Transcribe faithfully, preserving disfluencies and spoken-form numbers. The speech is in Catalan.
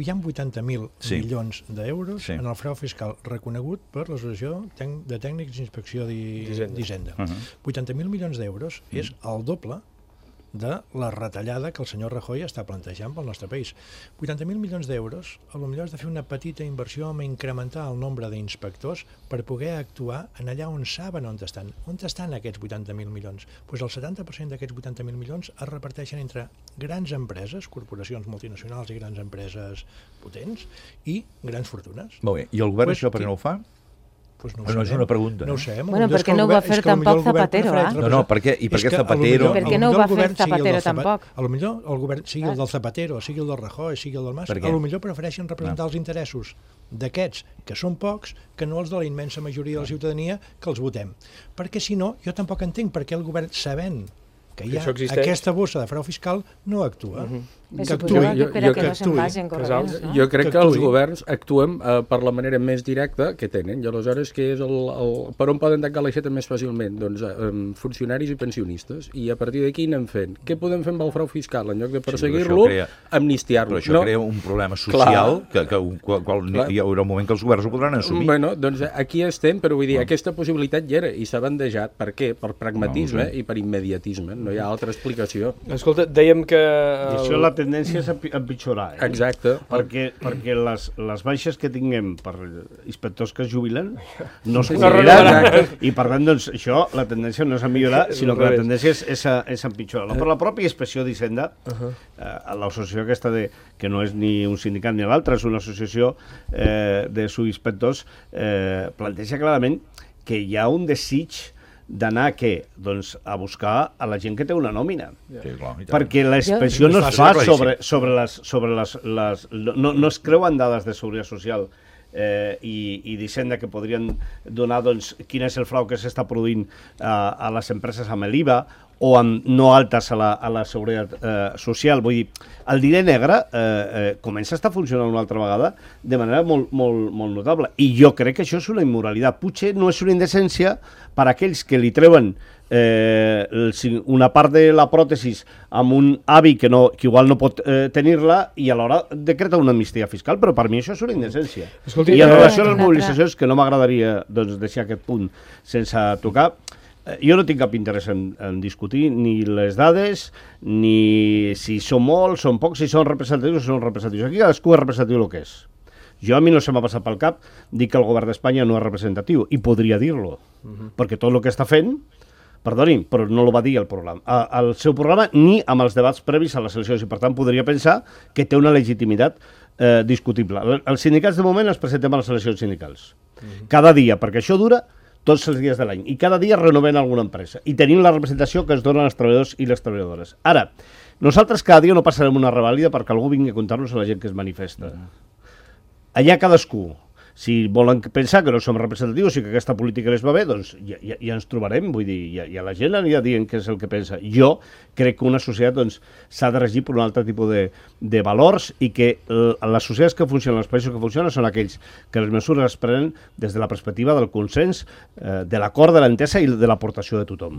Hi ha vuitanta mil Sí. milions d'euros Sí. en el frau fiscal reconegut per l'Associació Tec- de Tècnics d'Inspecció d'Hi- D'Hisenda. d'Hisenda. Uh -huh. vuitanta mil milions d'euros és el doble de la retallada que el senyor Rajoy està plantejant pel nostre país. vuitanta mil milions d'euros, potser has de fer una petita inversió en incrementar el nombre d'inspectors per poder actuar en allà on saben on estan. On estan aquests vuitanta mil milions? Pues el setanta per cent d'aquests vuitanta mil milions es reparteixen entre grans empreses, corporacions multinacionals i grans empreses potents, i grans fortunes. Molt bé. I el govern Pues això per què qui- no ho fa? Pues no, ho Però no és sabem. una pregunta, No ho eh? sabem. Bueno, Potser és perquè que el no ho va govern- fer és que potser tampoc el govern Zapatero, prefereix eh? No, no, per què? I per És què que Zapatero... potser- Per què no ho va potser el fer govern sigui el Zapatero del Zapa- tampoc? A lo millor el govern sigui el Clar. del Zapatero, sigui el del Rajoy, sigui el del Mas, Per què? a lo millor prefereixen representar els interessos d'aquests, que són pocs, que no els de la immensa majoria de la ciutadania que els votem. Perquè si no, jo tampoc entenc per què el govern, sabent que hi Que ha això existeix. aquesta bossa de frau fiscal, no actua. Bé, Que suposava actuï. que per Jo- a que jo- no se'n vagin Casals, corrents, no? jo crec Que que, els actuï. governs actuen eh, per la manera més directa que tenen, i aleshores que és el, el, per on poden tancar l'aixeta més fàcilment? Doncs eh, funcionaris i pensionistes, i a partir d'aquí anem fent. Què podem fer amb el frau fiscal? En lloc de però perseguir-lo, això crea- amnistiar-lo. Però això No? crea un problema social que, que un- qual, qual Clar. hi haurà un moment que els governs ho podran assumir. Bueno, doncs aquí estem, però vull dir, aquesta possibilitat hi era i s'ha bandejat. Per què? Per pragmatisme No, no sé. i per immediatisme. No hi ha altra explicació. Escolta, dèiem que... I això la tendència és a pi- a empitjorar. Eh? Exacte. Perquè, perquè les, les baixes que tinguem per inspectors que es jubilen no es Sí, sí, cobriran, exacte. i per tant, doncs, això, la tendència no és a millorar, És sinó al que la revés. tendència és, és, a, és a empitjorar. Per la pròpia inspecció d'Hisenda, eh, l'associació aquesta, de, que no és ni un sindicat ni l'altre, és una associació eh, de subinspectors, eh, planteja clarament que hi ha un desig d'anar a què? Doncs a buscar a la gent que té una nòmina. Sí, clar, i tant. Perquè la inspecció Jo- no es fa Claríssim. sobre, sobre les... Sobre les, les no, no es creuen dades de seguretat social eh, i, i d'Hisenda que podrien donar doncs, quin és el frau que s'està produint eh, a les empreses amb l'I V A o amb no altes a la, a la seguretat eh, social. Vull dir, el diner negre eh, eh, comença a estar funcionant una altra vegada de manera molt, molt, molt notable. I jo crec que això és una immoralitat. Potser no és una indecència per a aquells que li treuen eh, el, si- una part de la pròtesis amb un avi que, no, que igual no pot eh, tenir-la i alhora decreta una amnistia fiscal, però per mi això és una indecència. Escolti, I en eh, relació a les una altra- mobilitzacions, que no m'agradaria doncs, deixar aquest punt sense tocar, eh, jo no tinc cap interès en, en discutir ni les dades, ni si són molts, són pocs, si són representatius o són representatius. Aquí cadascú és representatiu el que és. Jo a mi no se m'ha passat pel cap dir que el govern d'Espanya no és representatiu, i podria dir-lo, perquè tot el que està fent, perdoni, però no el va dir el programa, a- al seu programa ni amb els debats previs a les eleccions, i per tant podria pensar que té una legitimitat eh, discutible. El- Els sindicats de moment els presentem a les eleccions sindicals. Cada dia, perquè això dura tots els dies de l'any, i cada dia renovem alguna empresa, i tenim la representació que es donen als treballadors i les treballadores. Ara, nosaltres cada dia no passarem una revàlida perquè algú vingui a contar-nos a la gent que es manifesta. Allà cadascú. Si volen pensar que no som representatius i que aquesta política les va bé, doncs ja, ja, ja ens trobarem, vull dir, ja, ja la gent anirà dient què és el que pensa. Jo crec que una societat doncs, s'ha de regir per un altre tipus de, de valors, i que l- les societats que funcionen, els països que funcionen, són aquells que les mesures es prenen des de la perspectiva del consens, eh, de l'acord, de l'entesa i de l'aportació de tothom.